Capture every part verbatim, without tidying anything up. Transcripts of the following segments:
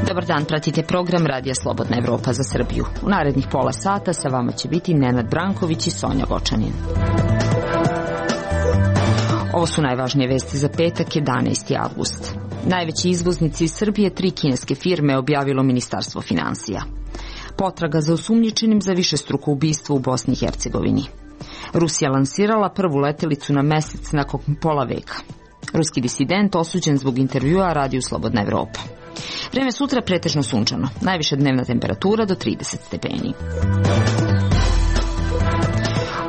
Dobar dan, pratite program Radija Slobodna Evropa za Srbiju. U narednih pola sata sa vama će biti Nenad Branković i Sonja Vočanin. Ovo su najvažnije vesti za petak, jedanaesti avgust. Najveći izvoznici iz Srbije tri kineske firme objavilo Ministarstvo finansija. Potraga za osumnjičenim za višestruko ubistvo u Bosni i Hercegovini. Rusija lansirala prvu letelicu na mesec nakon pola veka. Ruski disident osuđen zbog intervjua Radiju Slobodna Evropa. Vreme sutra pretežno sunčano, najviša dnevna temperatura do trideset stepeni.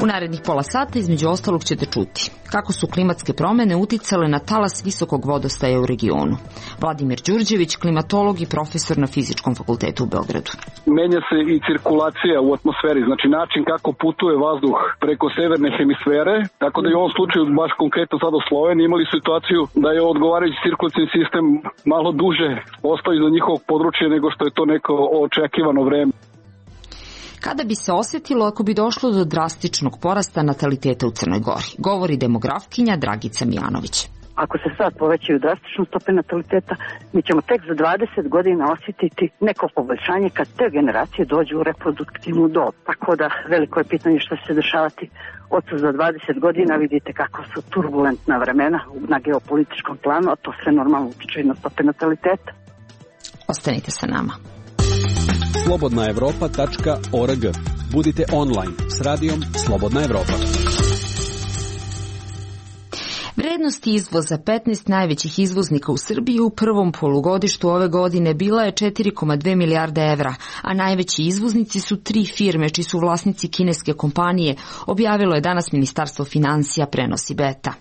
U narednih pola sata između ostalog ćete čuti kako su klimatske promene uticale na talas visokog vodostaja u regionu. Vladimir Đurđević, klimatolog i profesor na Fizičkom fakultetu u Beogradu. Menja se i cirkulacija u atmosferi, znači način kako putuje vazduh preko severne hemisfere, tako da i u ovom slučaju, baš konkretno sad u Sloveniji, imali situaciju da je odgovarajući cirkulacijni sistem malo duže ostao iza njihovog područja nego što je to neko očekivano vreme. Kada bi se osjetilo ako bi došlo do drastičnog porasta nataliteta u Crnoj Gori, govori demografkinja Dragica Mijanović. Ako se sad povećaju drastično stope nataliteta, mi ćemo tek za dvadeset godina osjetiti neko poboljšanje kad te generacije dođu u reproduktivnu dob. Tako da veliko je pitanje što će se dešavati od za dvadeset godina. Vidite kako su turbulentna vremena na geopolitičkom planu, a to sve normalno utiče i na stope nataliteta. Ostanite sa nama. slobodna evropa tačka org. Budite online s radijom Slobodna Evropa. Vrednost izvoza petnaest najvećih izvoznika u Srbiji u prvom polugodištu ove godine bila je četiri zarez dve milijarde evra, a najveći izvoznici su tri firme čiji su vlasnici kineske kompanije, objavilo je danas Ministarstvo finansija, prenosi Beta.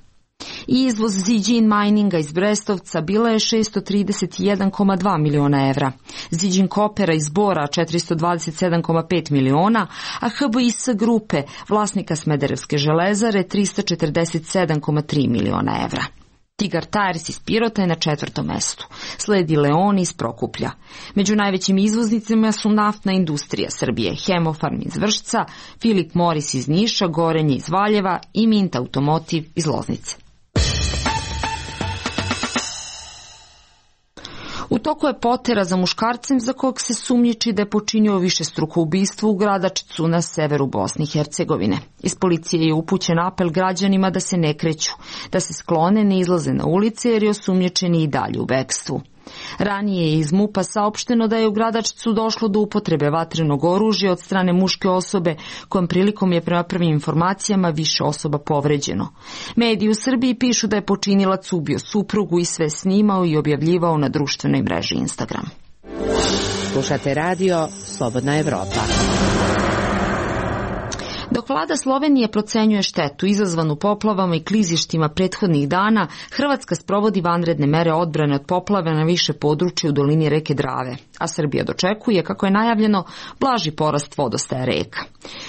Izvoz Zijin Mininga iz Brestovca bila je šessto trideset jedan zarez dva miliona evra, Zijin Kopera iz Bora četiristo dvadeset sedam zarez pet miliona, a H B I S grupe, vlasnika Smederevske železare, tristo četrdeset sedam zarez tri miliona evra. Tigar Tires iz Pirota je na četvrtom mestu. Sledi Leon iz Prokuplja. Među najvećim izvoznicima su naftna industrija Srbije, Hemofarm iz Vršca, Philip Morris iz Niša, Gorenje iz Valjeva i Mint Automotive iz Loznice. U toku je potera za muškarcem za kog se sumnjiči da je počinio višestruko ubistvo u Gradačcu na severu Bosne i Hercegovine. Iz policije je upućen apel građanima da se ne kreću, da se sklone, ne izlaze na ulice jer je osumnjičeni i dalje u bekstvu. Ranije je iz MUP-a saopšteno da je u Gradačcu došlo do upotrebe vatrenog oružja od strane muške osobe, kojom prilikom je prema prvim informacijama više osoba povređeno. Mediji u Srbiji pišu da je počinilac ubio suprugu i sve snimao i objavljivao na društvenoj mreži Instagram. Slušate radio Slobodna Evropa. Dok vlada Slovenije procenjuje štetu izazvanu poplavama i klizištima prethodnih dana, Hrvatska sprovodi vanredne mere odbrane od poplave na više područja u dolini reke Drave, a Srbija dočekuje, kako je najavljeno, blaži porast vodostaja reka.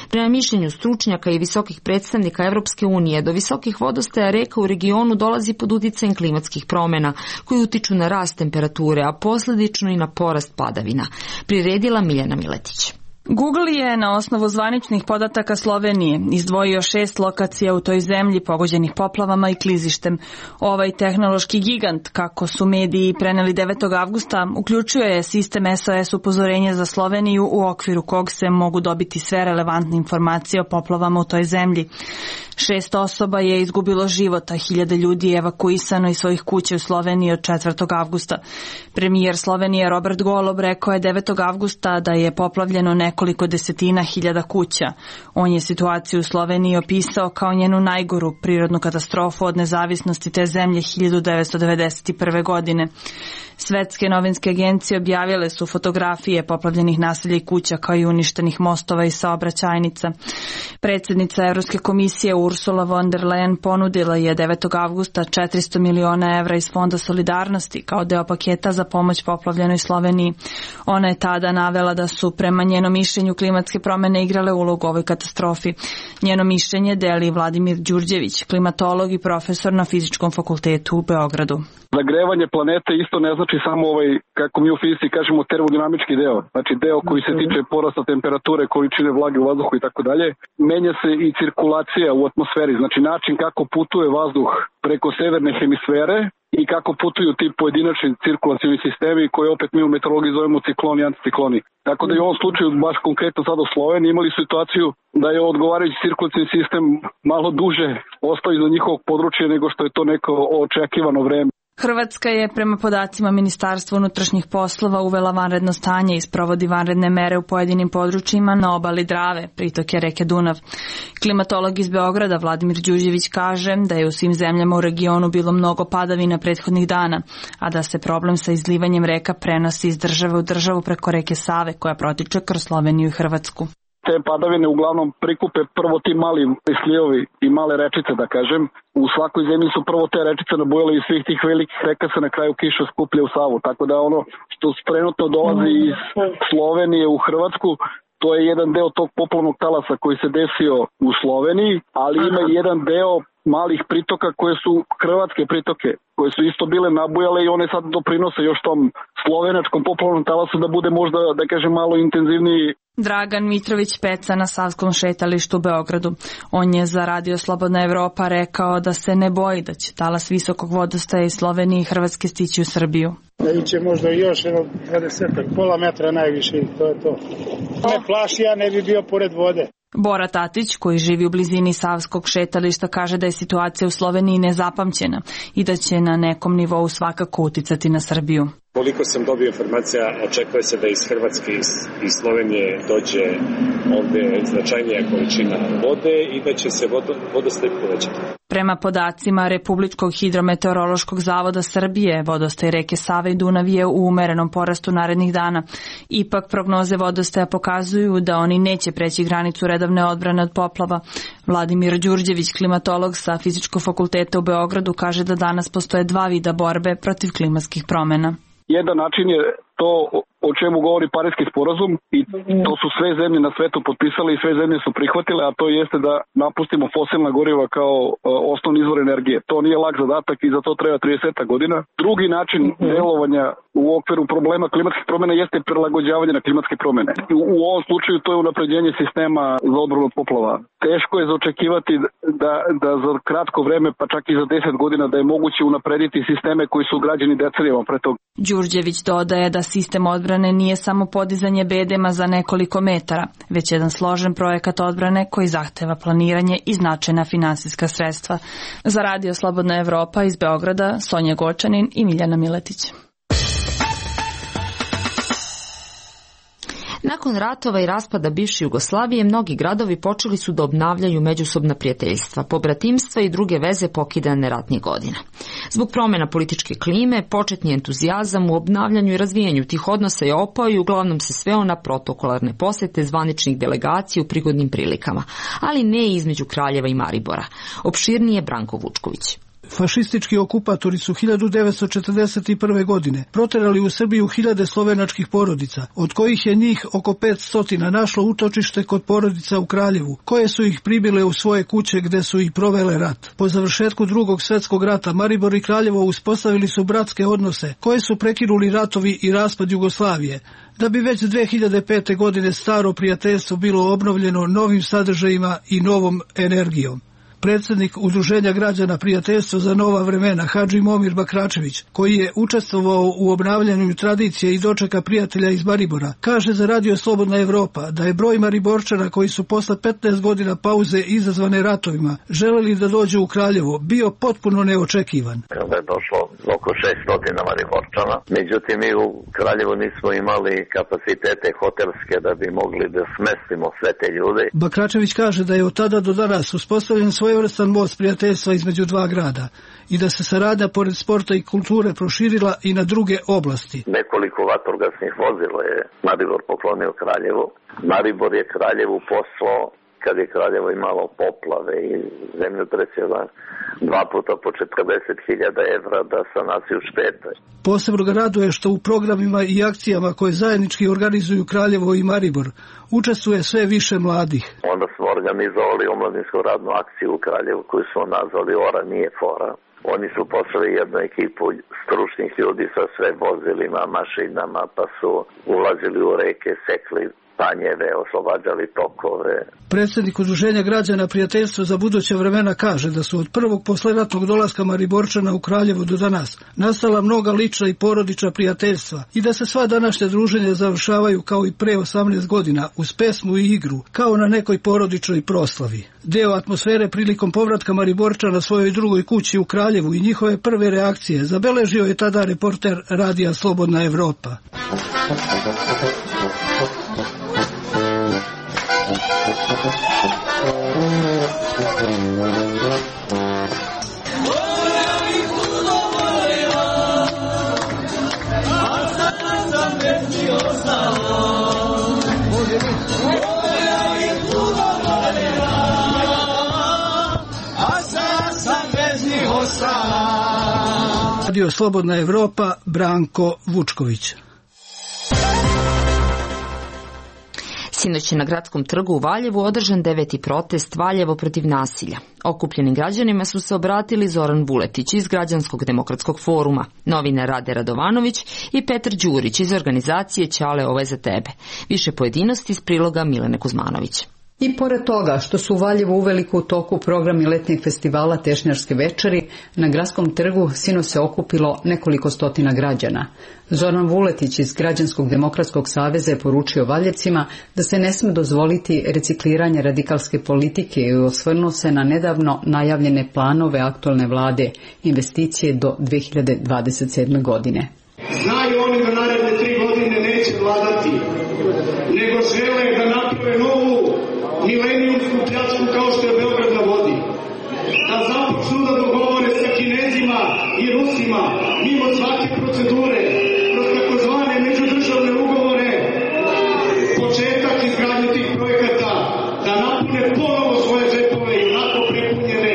Prema mišljenju stručnjaka i visokih predstavnika Evropske unije, do visokih vodostaja reka u regionu dolazi pod uticajem klimatskih promjena koji utiču na rast temperature, a posljedično i na porast padavina, priredila Miljana Miletić. Google je na osnovu zvaničnih podataka Slovenije izdvojio šest lokacija u toj zemlji pogođenih poplavama i klizištem. Ovaj tehnološki gigant, kako su mediji preneli devetog avgusta, uključuje sistem S O S upozorenja za Sloveniju u okviru kog se mogu dobiti sve relevantne informacije o poplavama u toj zemlji. Šest osoba je izgubilo život, a hiljade ljudi je evakuisano iz svojih kuća u Sloveniji od četvrtog avgusta. Premijer Slovenije Robert Golob rekao je devetog avgusta da je poplavljeno nekoliko desetina hiljada kuća. On je situaciju u Sloveniji opisao kao njenu najgoru prirodnu katastrofu od nezavisnosti te zemlje hiljadu devetsto devedeset prve. godine. Svetske novinske agencije objavile su fotografije poplavljenih naselja i kuća kao i uništenih mostova i saobraćajnica. Predsjednica Evropske komisije Ursula von der Leyen ponudila je devetog avgusta četiristo miliona evra iz Fonda solidarnosti kao deo paketa za pomoć poplavljenoj Sloveniji. Ona je tada navela da su prema njenom mišljenju klimatske promjene igrale ulogu u ovoj katastrofi. Njeno mišljenje deli Vladimir Đurđević, klimatolog i profesor na Fizičkom fakultetu u Beogradu. Zagrevanje planete isto ne znači znači samo ovaj, kako mi u fizici kažemo, termodinamički deo, znači deo koji se tiče porasta temperature, količine vlage u vazduhu i tako dalje. Menja se i cirkulacija u atmosferi, znači način kako putuje vazduh preko severne hemisfere i kako putuju ti pojedinačni cirkulacioni sistemi koje opet mi u meteorologiji zovemo cikloni i anticikloni. Tako da i u ovom slučaju, baš konkretno sad u Sloveniji, imali situaciju da je odgovarajući cirkulacioni sistem malo duže ostao iza njihovog područja nego što je to neko očekivano vreme. Hrvatska je prema podacima Ministarstva unutrašnjih poslova uvela vanredno stanje i sprovodi vanredne mere u pojedinim područjima na obali Drave, pritoke reke Dunav. Klimatolog iz Beograda Vladimir Đurđević kaže da je u svim zemljama u regionu bilo mnogo padavina prethodnih dana, a da se problem sa izlivanjem reka prenosi iz države u državu preko reke Save koja protiče kroz Sloveniju i Hrvatsku. Te padavine uglavnom prikupe prvo ti mali slivovi i male rečice, da kažem. U svakoj zemlji su prvo te rečice nabujale i svih tih velikih reka se na kraju kiša skuplja u Savu. Tako da ono što trenutno dolazi iz Slovenije u Hrvatsku, to je jedan deo tog poplavnog talasa koji se desio u Sloveniji, ali ima i jedan deo malih pritoka koje su hrvatske pritoke, koje su isto bile nabujale i one sad doprinose još tom slovenačkom poplavnom talasu da bude možda, da kažem, malo intenzivniji. Dragan Mitrović Peca na Savskom šetalištu u Beogradu. On je za Radio Slobodna Evropa rekao da se ne boji da će talas visokog vodostaja iz Slovenije i Hrvatske stići u Srbiju. Da će možda još jedno dvadeset, pola metra najviše, to je to. Ne plaši, ja ne bi bio pored vode. Bora Tatić, koji živi u blizini Savskog šetališta, kaže da je situacija u Sloveniji nezapamćena i da će na nekom nivou svakako uticati na Srbiju. Koliko sam dobio informacija, očekuje se da iz Hrvatske i Slovenije dođe ovde značajnija količina vode i da će se vodostaj povećati. Prema podacima Republičkog hidrometeorološkog zavoda Srbije, vodostaj reke Save i Dunav je u umerenom porastu narednih dana. Ipak prognoze vodostaja pokazuju da oni neće preći granicu redovne odbrane od poplava. Vladimir Đurđević, klimatolog sa Fizičkog fakulteta u Beogradu, kaže da danas postoje dva vida borbe protiv klimatskih promjena. Jedan način je to o čemu govori Pariski sporazum i to su sve zemlje na svetu potpisale i sve zemlje su prihvatile, a to jeste da napustimo fosilna goriva kao osnovni izvor energije. To nije lak zadatak i za to treba trideset godina. Drugi način delovanja u okviru problema klimatskih promjena jeste prilagođavanje na klimatske promjene. U ovom slučaju to je unapređenje sistema za odbranu od poplava. Teško je zaočekivati da, da za kratko vreme, pa čak i za deset godina, da je moguće unaprediti sisteme koji su građeni decenijama pre toga. Đurđević dodaje da sistem odbrane nije samo podizanje bedema za nekoliko metara, već jedan složen projekat odbrane koji zahteva planiranje i značajna finansijska sredstva. Za Radio Slobodna Evropa iz Beograda, Sonja Gočanin i Miljana Miletić. Nakon ratova i raspada bivše Jugoslavije, mnogi gradovi počeli su da obnavljaju međusobna prijateljstva, pobratimstva i druge veze pokidane ratnih godina. Zbog promjena političke klime, početni entuzijazam u obnavljanju i razvijanju tih odnosa je opao i uglavnom se sveo na protokolarne posete zvaničnih delegacija u prigodnim prilikama, ali ne između Kraljeva i Maribora. Opširnije Branko Vučković. Fašistički okupatori su hiljadu devetsto četrdeset prve. godine proterali u Srbiju hiljade slovenačkih porodica, od kojih je njih oko petsto našlo utočište kod porodica u Kraljevu, koje su ih pribile u svoje kuće gde su i provele rat. Po završetku drugog svjetskog rata Maribor i Kraljevo uspostavili su bratske odnose, koje su prekinuli ratovi i raspad Jugoslavije, da bi već dve hiljade pete. godine staro prijateljstvo bilo obnovljeno novim sadržajima i novom energijom. Predsjednik Udruženja građana Prijateljstva za nova vremena Hadži Momir Bakračević, koji je učestvovao u obnavljanju tradicije i dočeka prijatelja iz Maribora, kaže za Radio Slobodna Evropa da je broj Mariborčana koji su posle petnaest godina pauze izazvane ratovima želeli da dođu u Kraljevo bio potpuno neočekivan. Kada je došlo oko šesto Mariborčana, međutim mi u Kraljevu nismo imali kapacitete hotelske da bi mogli da smestimo sve te ljude. Bakračević kaže da je od tada do danas uspostavljen svoj svojevrstan most prijateljstva između dva grada i da se saradnja pored sporta i kulture proširila i na druge oblasti. Nekoliko vatrogasnih vozila je Maribor poklonio Kraljevu. Maribor je Kraljevu poslao kad je Kraljevo imalo poplave i zemljotrese dva puta po četrdeset hiljada evra da sanaciju štete. Posebno ga raduje što u programima i akcijama koje zajednički organizuju Kraljevo i Maribor učestvuje sve više mladih. Onda smo organizovali omladinsku radnu akciju u Kraljevu koju smo nazvali Ora nije fora. Oni su poslali jednu ekipu stručnih ljudi sa sve vozilima, mašinama, pa su ulazili u reke, sekli panjeve, oslobađali tokove. Predsjednik Udruženja građana Prijateljstva za buduća vremena kaže da su od prvog posleratnog dolaska Mariborčana u Kraljevo do danas nastala mnoga lična i porodična prijateljstva i da se sva današnja druženja završavaju kao i pre osamnaest godina uz pesmu i igru, kao na nekoj porodičnoj proslavi. Deo atmosfere prilikom povratka Mariborčana svojoj drugoj kući u Kraljevu i njihove prve reakcije zabeležio je tada reporter radija Slobodna Evropa. Radio Slobodna Evropa, Branko Vučković. Sinoć je na Gradskom trgu u Valjevu održan deveti protest Valjevo protiv nasilja. Okupljenim građanima su se obratili Zoran Vuletić iz Građanskog demokratskog foruma, novinar Rade Radovanović i Petar Đurić iz organizacije Ćale ovo je za tebe. Više pojedinosti iz priloga Milene Kuzmanović. I pored toga što su u Valjevu uveliko u toku programi letnjeg festivala Tešnjarske večeri, na Gradskom trgu sinoć se okupilo nekoliko stotina građana. Zoran Vuletić iz Građanskog demokratskog saveza je poručio Valjevcima da se ne sme dozvoliti recikliranje radikalske politike i osvrnuo se na nedavno najavljene planove aktualne vlade, investicije do dve hiljade dvadeset sedme. godine. Znaju oni da naredne tri godine neće vladati, nego žele da naprave novu milenijumsku pljačku kao što je Beograd na vodi. Da započnu da dogovore sa Kinezima i Rusima mimo svake procedure, kroz takozvane međudržavne ugovore, početak izgradnje tih projekata, da napune ponovo svoje džepove i onako prepunjene,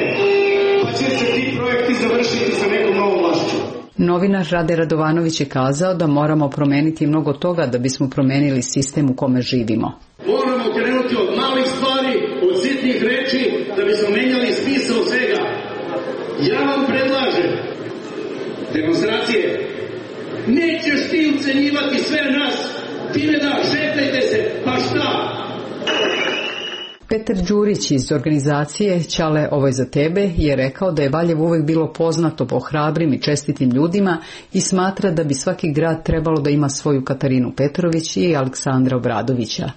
pa će se ti projekti završiti sa nekom novom vlašću. Novinar Rade Radovanović je kazao da moramo promeniti mnogo toga da bismo promenili sistem u kome živimo. Moramo krenuti od malih stvari, od sitnih reči, da bismo menjali smisao svega. Ja vam predlažem demonstracije. Nećeš ti ucenjivati sve nas, time da šetajte se, pa šta? Petar Đurić iz organizacije Ćale ovo je za tebe je rekao da je Valjevo uvek bilo poznato po hrabrim i čestitim ljudima i smatra da bi svaki grad trebalo da ima svoju Katarinu Petrović i Aleksandra Obradovića.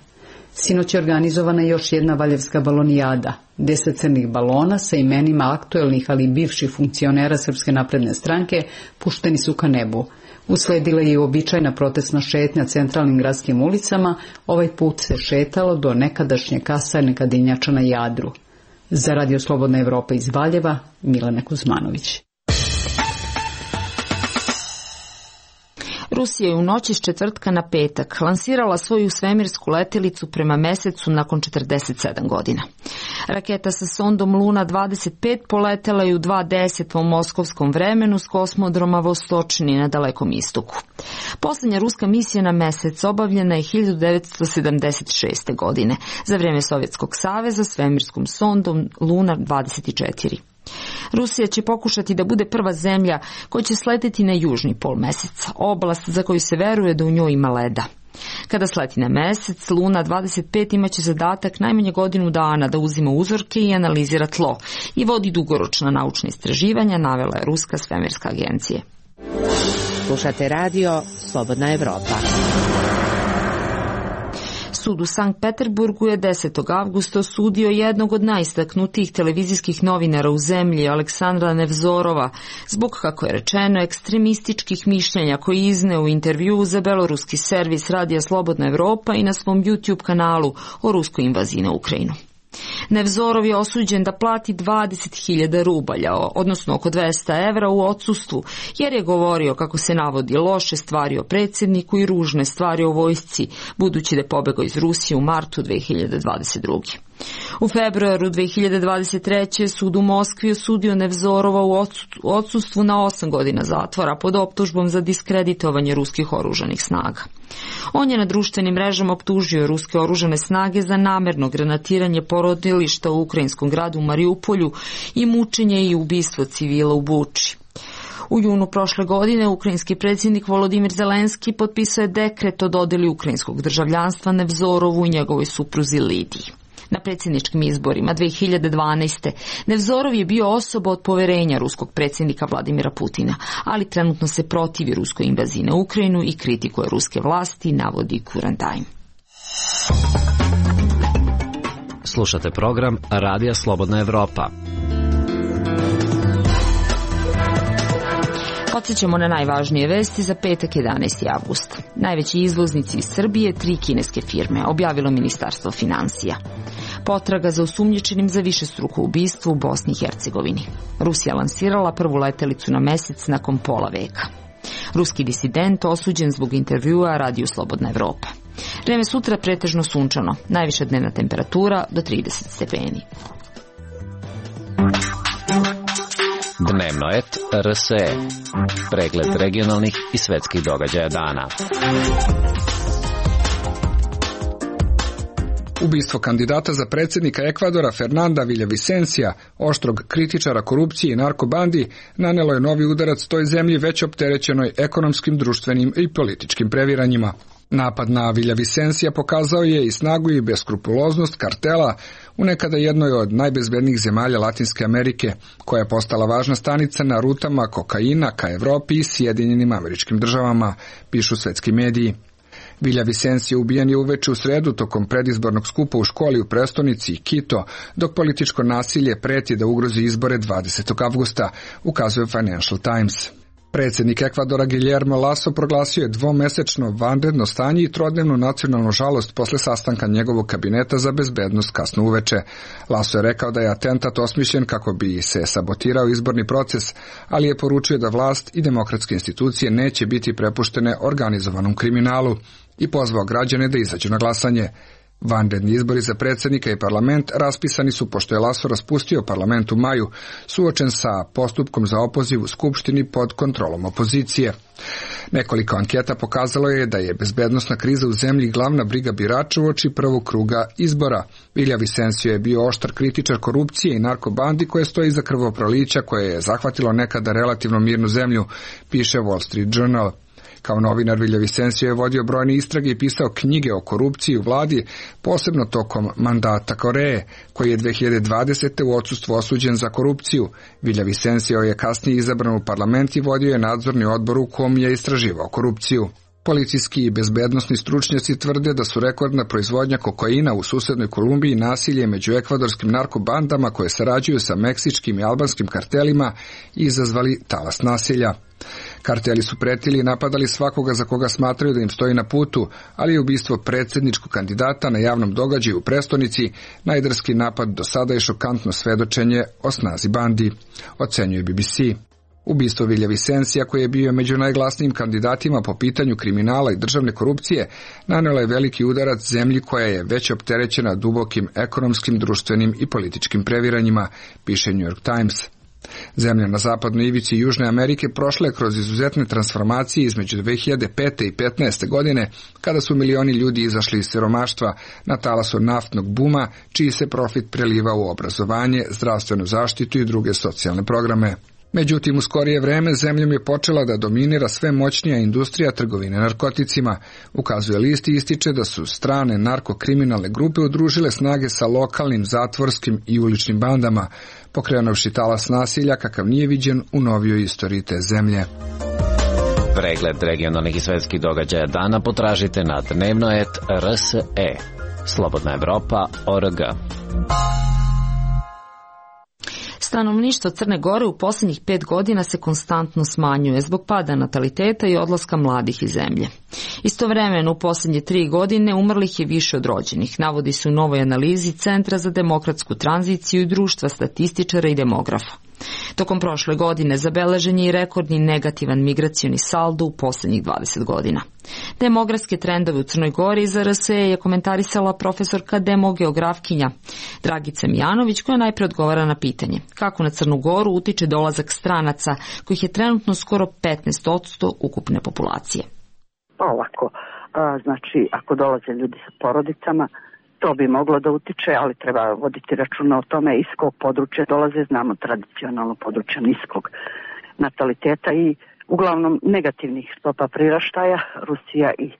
Sinoć je organizovana još jedna valjevska balonijada. Deset crnih balona sa imenima aktuelnih, ali i bivših funkcionera Srpske napredne stranke pušteni su ka nebu. Usledila je i uobičajna protestna šetnja centralnim gradskim ulicama, ovaj put se šetalo do nekadašnje kasarne Kadinjača na Jadru. Za Radio Slobodna Evropa iz Valjeva, Milena Kuzmanović. Rusija je u noći s četvrtka na petak lansirala svoju svemirsku letelicu prema mesecu nakon četrdeset sedam godina. Raketa sa sondom Luna dvadeset pet poletela je u dva deset po moskovskom vremenu s kosmodroma Vostočni na Dalekom istoku. Poslednja ruska misija na mesec obavljena je hiljadu devetsto sedamdeset šeste. godine za vreme Sovjetskog saveza svemirskom sondom Luna dvadeset četiri. Rusija će pokušati da bude prva zemlja koja će sleteti na južni pol meseca, oblast za koju se veruje da u njoj ima leda. Kada sleti na mesec, Luna dvadeset pet imaće zadatak najmanje godinu dana da uzima uzorke i analizira tlo i vodi dugoročna naučna istraživanja, navela je Ruska svemirska agencija. Slušate radio Slobodna Evropa. Sud u Sankt Peterburgu je desetog avgusta osudio jednog od najistaknutijih televizijskih novinara u zemlji, Aleksandra Nevzorova, zbog, kako je rečeno, ekstremističkih mišljenja koji izneo u intervjuu za beloruski servis Radija Slobodna Evropa i na svom YouTube kanalu o ruskoj invaziji na Ukrajinu. Nevzorov je osuđen da plati dvadeset hiljada rubalja, odnosno oko dvesta evra u odsustvu, jer je govorio, kako se navodi, loše stvari o predsjedniku i ružne stvari o vojsci, budući da je pobegao iz Rusije u martu dve hiljade dvadeset druge. U februaru dve hiljade dvadeset treće. sud u Moskvi osudio Nevzorova u odsustvu na osam godina zatvora pod optužbom za diskreditovanje ruskih oružanih snaga. On je na društvenim mrežama optužio ruske oružane snage za namerno granatiranje porodilišta u ukrajinskom gradu Mariupolju i mučenje i ubistvo civila u Buči. U junu prošle godine ukrajinski predsjednik Volodimir Zelenski potpisao je dekret o dodjeli ukrajinskog državljanstva Nevzorovu i njegovoj supruzi Lidiji. Na predsjedničkim izborima dve hiljade dvanaeste. Nevzorov je bio osoba od poverenja ruskog predsjednika Vladimira Putina, ali trenutno se protivi ruskoj invaziji na Ukrajinu i kritikuje ruske vlasti, navodi Current Time. Slušate program Radija Slobodna Evropa. Podsjećamo na najvažnije vesti za petak jedanaesti avgust. Najveći izvoznici iz Srbije, tri kineske firme, objavilo Ministarstvo finansija. Potraga za osumnjičenim za višestruko ubistvo u Bosni i Hercegovini. Rusija lansirala prvu letelicu na mesec nakon pola veka. Ruski disident osuđen zbog intervjua Radiju Slobodna Evropa. Vreme sutra pretežno sunčano, najviša dnevna temperatura do trideset stepeni. Dnevno et R S E. Pregled regionalnih i svetskih događaja dana. Ubistvo kandidata za predsjednika Ekvadora Fernanda Villavicencia, oštrog kritičara korupcije i narkobandi, nanelo je novi udarac toj zemlji već opterećenoj ekonomskim, društvenim i političkim previranjima. Napad na Villavicencia pokazao je i snagu i beskrupuloznost kartela u nekada jednoj od najbezbednijih zemalja Latinske Amerike, koja je postala važna stanica na rutama kokaina ka Evropi i Sjedinjenim Američkim Državama, pišu svetski mediji. Villavicencia ubijen je uveče u sredu tokom predizbornog skupa u školi u prestonici Quito, dok političko nasilje preti da ugrozi izbore dvadesetog avgusta, ukazuje Financial Times. Predsjednik Ekvadora Guillermo Lasso proglasio je dvomesečno vanredno stanje i trodnevnu nacionalnu žalost posle sastanka njegovog kabineta za bezbednost kasno uveče. Lasso je rekao da je atentat osmišljen kako bi se sabotirao izborni proces, ali je poručio da vlast i demokratske institucije neće biti prepuštene organizovanom kriminalu i pozvao građane da izađu na glasanje. Vanredni izbori za predsjednika i parlament raspisani su pošto je Lasso raspustio parlament u maju, suočen sa postupkom za opoziv u skupštini pod kontrolom opozicije. Nekoliko anketa pokazalo je da je bezbednosna kriza u zemlji glavna briga birača uoči prvog kruga izbora. Villavicencio je bio oštar kritičar korupcije i narkobandi koje stoji iza krvoprolića koje je zahvatilo nekada relativno mirnu zemlju, piše Wall Street Journal. Kao novinar Villavicencio je vodio brojne istrage i pisao knjige o korupciji u vladi, posebno tokom mandata Koreje, koji je dve hiljade dvadesete. u odsustvu osuđen za korupciju. Villavicencio je kasnije izabran u parlament i vodio je nadzorni odbor u kom je istraživao korupciju. Policijski i bezbednosni stručnjaci tvrde da su rekordna proizvodnja kokaina u susednoj Kolumbiji, nasilje među ekvadorskim narkobandama koje sarađuju sa meksičkim i albanskim kartelima izazvali talas nasilja. Karteli su pretili i napadali svakoga za koga smatraju da im stoji na putu, ali je ubistvo predsjedničkog kandidata na javnom događaju u prestonici najdrski napad do sada i šokantno svedočenje o snazi bandi, ocenjuje B B C. Ubistvo Villavicencia, koji je bio među najglasnijim kandidatima po pitanju kriminala i državne korupcije, nanela je veliki udarac zemlji koja je već opterećena dubokim ekonomskim, društvenim i političkim previranjima, piše New York Times. Zemlja na zapadnoj ivici Južne Amerike prošla je kroz izuzetne transformacije između dve hiljade pete i petnaeste. godine, kada su milioni ljudi izašli iz siromaštva na talasu naftnog buma, čiji se profit preliva u obrazovanje, zdravstvenu zaštitu i druge socijalne programe. Međutim, u skorije vreme zemljom je počela da dominira sve moćnija industrija trgovine narkoticima. Ukazuje list i ističe da su strane narkokriminalne grupe udružile snage sa lokalnim, zatvorskim i uličnim bandama, pokrenuši talas nasilja kakav nije viđen u novijoj istoriji te zemlje. Pregled regionalnih i svetskih događaja dana potražite na dnevno et R S E. Slobodna Evropa O R G. Stanovništvo Crne Gore u posljednjih pet godina se konstantno smanjuje zbog pada nataliteta i odlaska mladih iz zemlje. Istovremeno u posljednje tri godine umrlih je više od rođenih, navodi se u novoj analizi Centra za demokratsku tranziciju i društva statističara i demografa. Tokom prošle godine zabeležen je i rekordni negativan migracioni saldo u poslednjih dvadeset godina. Demografske trendove u Crnoj Gori za R S E je komentarisala profesorka demogeografkinja Dragica Mijanović, koja najpre odgovara na pitanje kako na Crnu Goru utiče dolazak stranaca, kojih je trenutno skoro petnaest posto ukupne populacije. Pa ovako, a, znači ako dolaze ljudi sa porodicama, to bi moglo da utiče, ali treba voditi računa o tome iz kog područja dolaze, znamo tradicionalno područja niskog nataliteta i uglavnom negativnih stopa priraštaja, Rusija i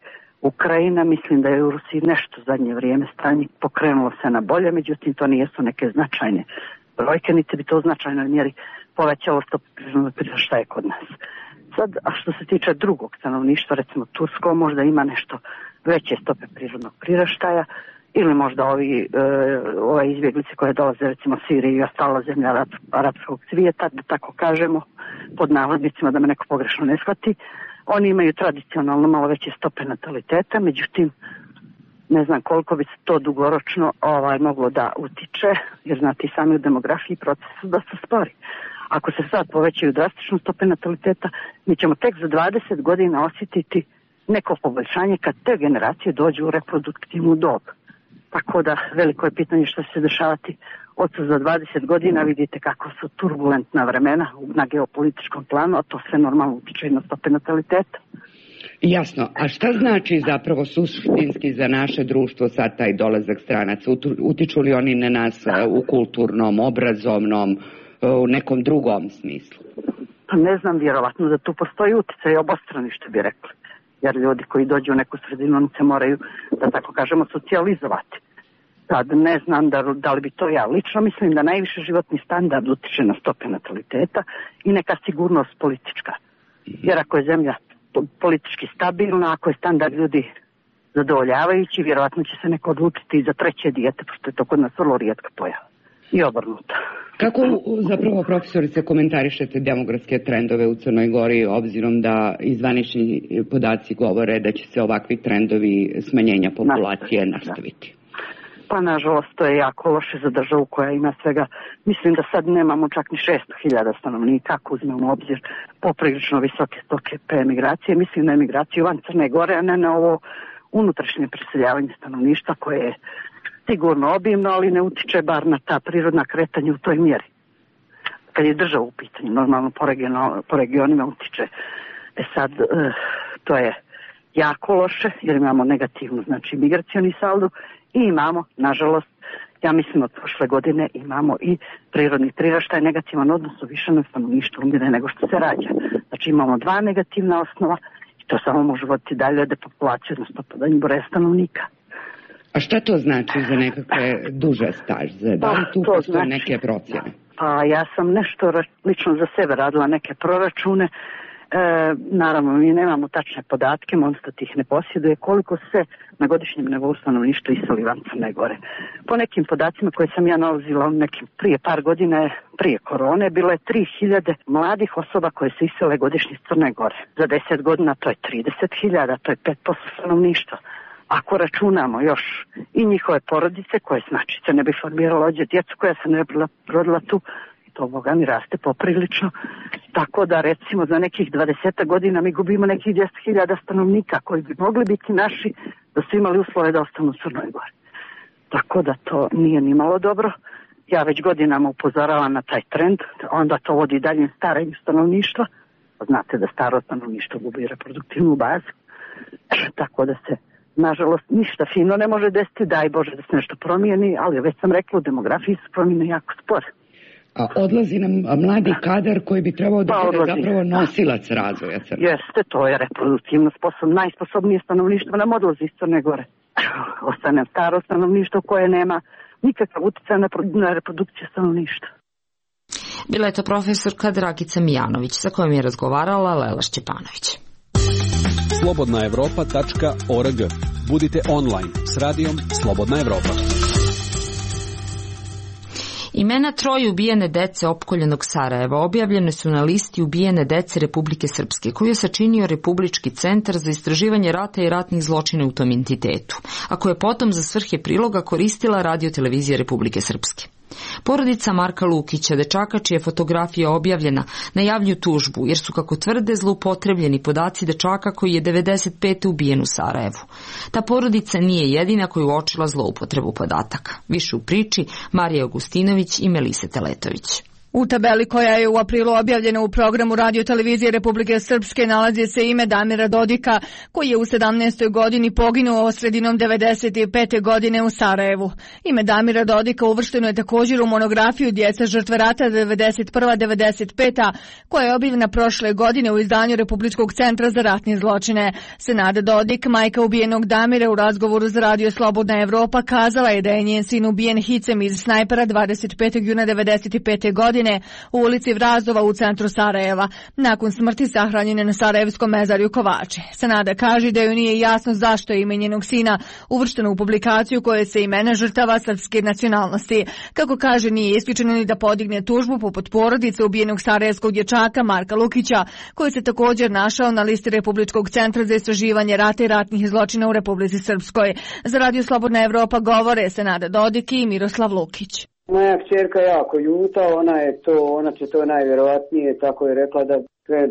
Ukrajina. Mislim da je u Rusiji nešto zadnje vrijeme stanje pokrenulo se na bolje, međutim to nijesu neke značajne brojke, niti bi to u značajnoj mjeri povećalo stopu priraštaja kod nas. Sad, a što se tiče drugog stanovništva, recimo Tursko, možda ima nešto veće stope prirodnog priraštaja, ili možda ovi, e, ove izbjeglice koje dolaze recimo Sirije i ostala zemlja arab, arapskog svijeta, da tako kažemo, pod navodnicima, da me neko pogrešno ne shvati, oni imaju tradicionalno malo veće stope nataliteta, međutim, ne znam koliko bi se to dugoročno ovaj, moglo da utiče, jer znate i sami u demografiji procesu da se spori. Ako se sad povećaju drastično stope nataliteta, mi ćemo tek za dvadeset godina osjetiti neko poboljšanje kad te generacije dođu u reproduktivnu dob. Tako da veliko je pitanje što će se dešavati od za dvadeset godina. Vidite kako su turbulentna vremena na geopolitičkom planu, a to sve normalno utiče i na stope nataliteta. Jasno. A šta znači zapravo suštinski za naše društvo sad taj dolazak stranaca? Utiču li oni na nas u kulturnom, obrazovnom, u nekom drugom smislu? Pa ne znam, vjerovatno da tu postoji uticaj obostrani, što bi rekli. Jer ljudi koji dođu u neku sredinu, oni se moraju, da tako kažemo, socijalizovati. Sad ne znam da, da li bi to ja. Lično mislim da najviše životni standard utiče na stope nataliteta i neka sigurnost politička. Jer ako je zemlja politički stabilna, ako je standard ljudi zadovoljavajući, vjerovatno će se neko odlučiti i za treće dijete, pošto je to kod nas vrlo rijetka pojava. I obrnuto. Kako zapravo, profesorice, komentarišete demografske trendove u Crnoj Gori, obzirom da izvanični podaci govore da će se ovakvi trendovi smanjenja populacije nastaviti? Pa nažalost to je jako loše za državu koja ima svega, mislim da sad nemamo čak ni šesto hiljada stanovnika, ako uzmemo u obzir poprilično visoke stoke emigracije, mislim na emigraciju van Crne Gore, a ne na ovo unutrašnje preseljavanje stanovništva koje je sigurno obimno, ali ne utiče bar na ta prirodna kretanja u toj mjeri. Kad je država u pitanju, normalno po, region, po regionima utiče. E sad, e, to je jako loše, jer imamo negativnu, znači, migracioni saldo i imamo, nažalost, ja mislim od prošle godine imamo i prirodni priraštaj, negativan odnos u više na stanovništvu umire nego što se rađa. Znači imamo dva negativna osnova i to samo može voditi dalje depopulaciju, odnosno podanju broja stanovnika. A šta to znači za nekakve duže staže? Da li tu postoje znači, neke procjene? Pa ja sam nešto lično za sebe radila neke proračune. E, naravno, mi nemamo tačne podatke, Monstat ih ne posjeduje, koliko se na godišnjem nivou stanovništva iseli van Crne Gore. Po nekim podacima koje sam ja nalazila nekim prije par godina, prije korone, bilo je tri hiljade mladih osoba koje se isele godišnje iz Crne Gore. Za deset godina to je trideset hiljada, to je pet posto stanovništva. Ako računamo još i njihove porodice koje znači se ne bi formiralo ođe djecu koja se ne bi rodila tu, to Boga mi raste poprilično. Tako da recimo za nekih dvadeset godina mi gubimo nekih deset hiljada stanovnika koji bi mogli biti naši da su imali uslove da ostanu u Crnoj Gori. Tako da to nije ni malo dobro. Ja već godinama upozoravam na taj trend, onda to vodi dalje starenju stanovništva. Znate da staro stanovništvo gubi reproduktivnu bazu. Tako da se nažalost ništa fino ne može desiti, daj Bože da se nešto promijeni, ali već sam rekla u demografiji se promijene jako spore. A odlazi nam mladi kadar koji bi trebao da bude pa, zapravo nosilac razvoja Crne. Jeste, to je reproduktivno sposobno, najsposobnije stanovništvo nam odlazi iz Crne Gore. Ostane staro stanovništvo koje nema nikakav utjecaj na, na reprodukciju stanovništva. Bila je to profesorka Dragica Mijanović, sa kojom je razgovarala Lela Šćepanović. slobodna evropa tačka org. Budite online s radijom Slobodna Evropa. Imena troje ubijene dece opkoljenog Sarajeva objavljene su na listi ubijene dece Republike Srpske, koju je sačinio Republički centar za istraživanje rata i ratnih zločina u tom entitetu, a koje je potom za svrhe priloga koristila Radio televizija Republike Srpske. Porodica Marka Lukića, dečaka čija je fotografija objavljena, najavljuju tužbu jer su, kako tvrde, zloupotrebljeni podaci dečaka koji je devedeset pete ubijen u Sarajevu. Ta porodica nije jedina koju uočila zloupotrebu podataka. Više u priči Marija Augustinović i Melisa Teletović. U tabeli koja je u aprilu objavljena u programu Radio televizije Republike Srpske nalazi se ime Damira Dodika, koji je u sedamnaestoj godini poginuo sredinom devedeset pete godine u Sarajevu. Ime Damira Dodika uvršteno je također u monografiju Djeca žrtve rata devedeset prva do devedeset peta koja je objavljena prošle godine u izdanju Republičkog centra za ratne zločine. Senada Dodik, majka ubijenog Damira, u razgovoru za Radio Slobodna Evropa kazala je da je njen sin ubijen hicem iz snajpera dvadeset petog juna devedeset pete godine u ulici Vrazova u centru Sarajeva. Nakon smrti sahranjen je na Sarajevskom mezarju Kovači. Senada kaže da joj nije jasno zašto je ime njenog sina uvršteno u publikaciju koje se imena žrtava srpske nacionalnosti. Kako kaže, nije isključeno ni da podigne tužbu poput porodice ubijenog sarajevskog dječaka Marka Lukića, koji se također našao na listi Republičkog centra za istraživanje rata i ratnih zločina u Republici Srpskoj. Za Radio Slobodna Evropa govore Senada Dodik i Miroslav Lukić. Moja kćerka jako ljuta, ona je to, ona će to najvjerovatnije, tako je rekla, da sve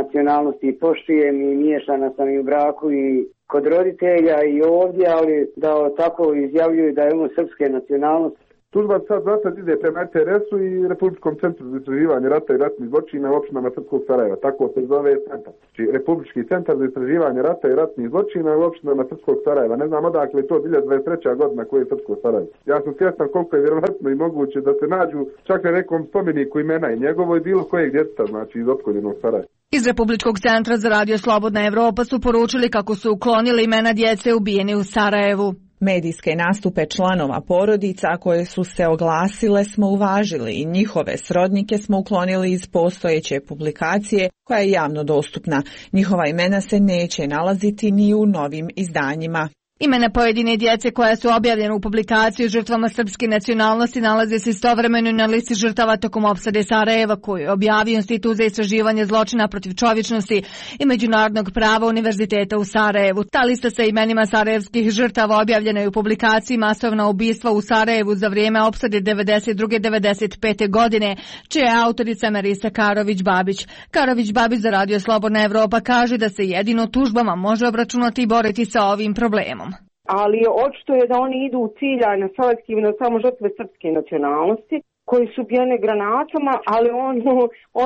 nacionalnosti poštujem i miješana sam i u braku i kod roditelja i ovdje, ali da tako izjavljuju da je ono srpske nacionalnosti. Tužba sad zasad ide prema R T R S-u i Republičkom centru za istraživanje rata i ratnih zločina u opštinama Srpskog Sarajeva. Tako se zove centar. Znači, Republički centar za istraživanje rata i ratnih zločina u opštinama Srpskog Sarajeva. Ne znam odakle je to hiljadu dvadeset treća godina koji je Srpsko Sarajevo. Ja sam svjestan koliko je vjerovatno i moguće da se nađu čak na nekom spomeniku imena i njegovo i bilo kojeg djeteta, znači iz opkoljenog Sarajeva. Iz Republičkog centra za Radio Slobodna Evropa su poručili kako su uklonili imena djece ubijene u Sarajevu. Medijske nastupe članova porodica koje su se oglasile smo uvažili i njihove srodnike smo uklonili iz postojeće publikacije koja je javno dostupna. Njihova imena se neće nalaziti ni u novim izdanjima. Imena pojedine djece koja su objavljene u publikaciji žrtvama srpske nacionalnosti nalaze se istovremeno na listi žrtava tokom opsade Sarajeva koju je objavio Institut za istraživanje zločina protiv čovječnosti i međunarodnog prava Univerziteta u Sarajevu. Ta lista sa imenima sarajevskih žrtava objavljena je u publikaciji Masovna ubistva u Sarajevu za vrijeme opsade devedeset druge do devedeset pete godine, čija je autorica Melisa Karović-Babić. Karović-Babić za Radio Slobodna Evropa kaže da se jedino tužbama može obračunati i boriti sa ovim problemom. Ali očito je da oni idu u ciljane selektivno na samo žrtve srpske nacionalnosti koji su ubijene granatama, ali on,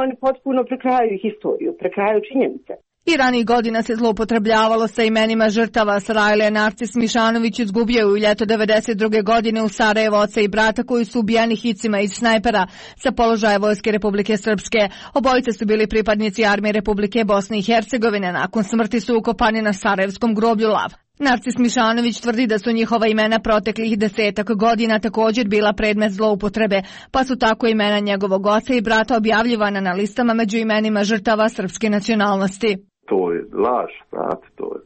on potpuno prekrajaju historiju, prekrajaju činjenice. I ranih godina se zloupotrebljavalo sa imenima žrtava. Sarajle Narcis Mišanović izgubio je u ljeto devedeset druge godine u Sarajevo oca i brata koji su ubijeni hicima iz snajpera sa položaja Vojske Republike Srpske. Obojice su bili pripadnici Armije Republike Bosne i Hercegovine. Nakon smrti su ukopani na sarajevskom groblju Lav. Narcis Mišanović tvrdi da su njihova imena proteklih desetak godina također bila predmet zloupotrebe, pa su tako imena njegovog oca i brata objavljivana na listama među imenima žrtava srpske nacionalnosti. To je laž, znate, to je.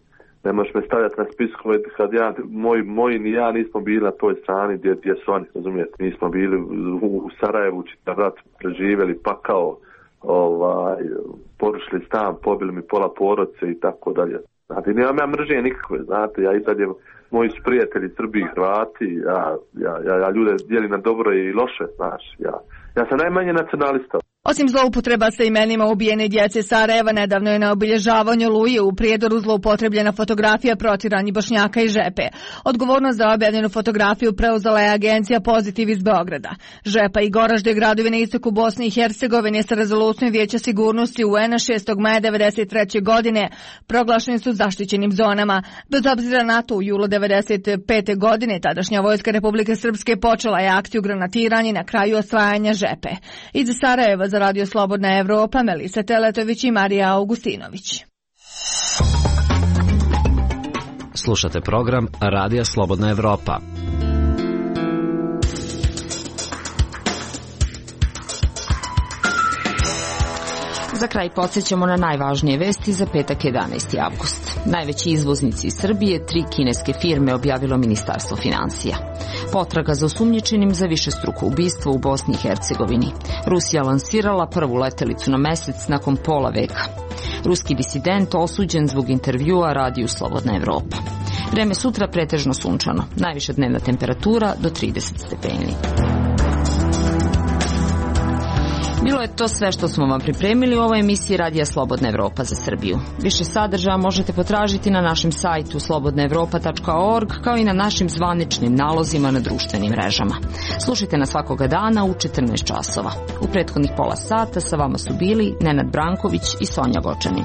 Ne možeš me stavljati na spiskove kad ja, moj, moji ni ja nismo bili na toj strani gdje, gdje su oni, razumijete, nismo bili u, u Sarajevu, čitav rat preživjeli, pa kao ovaj, porušili stan, pobili mi pola porodice i tako dalje. Znate, nemam ja mržnje nikakve, znate, ja i dalje, moji su prijatelji Srbi i Hrvati, ja, ja, ja, ja ljude dijelim na dobro i loše, znaš, ja, ja sam najmanje nacionalista. Osim zloupotreba sa imenima ubijene djece Sarajeva, nedavno je na obilježavanju Oluje u Prijedoru zloupotrebljena fotografija protjeranih Bošnjaka i Žepe. Odgovornost za objavljenu fotografiju preuzela je agencija Pozitiv iz Beograda. Žepa i Goražde, gradovi na istoku Bosne i Hercegovine, sa rezolucijom Vijeća sigurnosti U N-a šestog maja devedeset treće godine proglašeni su zaštićenim zonama. Bez obzira na to, u julu devedeset pete godine tadašnja Vojska Republike Srpske počela je akciju granatiranja na kraju osvajanja Žepe. Iz Sarajeva za Radio Slobodna Evropa, Melisa Teletović i Marija Augustinović. Slušate program Radija Slobodna Evropa. Za kraj podsjećamo na najvažnije vesti za petak jedanaesti avgust. Najveći izvoznici iz Srbije, tri kineske firme, objavilo Ministarstvo finansija. Potraga za osumnjičenim za višestruko ubistvo u Bosni i Hercegovini. Rusija lansirala prvu letelicu na mesec nakon pola veka. Ruski disident osuđen zbog intervjua Radiju Slobodna Evropa. Vreme sutra pretežno sunčano. Najviša dnevna temperatura do trideset stepeni. Bilo je to sve što smo vam pripremili u ovoj emisiji Radija Slobodna Evropa za Srbiju. Više sadržaja možete potražiti na našem sajtu slobodna evropa tačka org kao i na našim zvaničnim nalozima na društvenim mrežama. Slušajte nas svakoga dana u četrnaest časova. U prethodnih pola sata sa vama su bili Nenad Branković i Sonja Gočanin.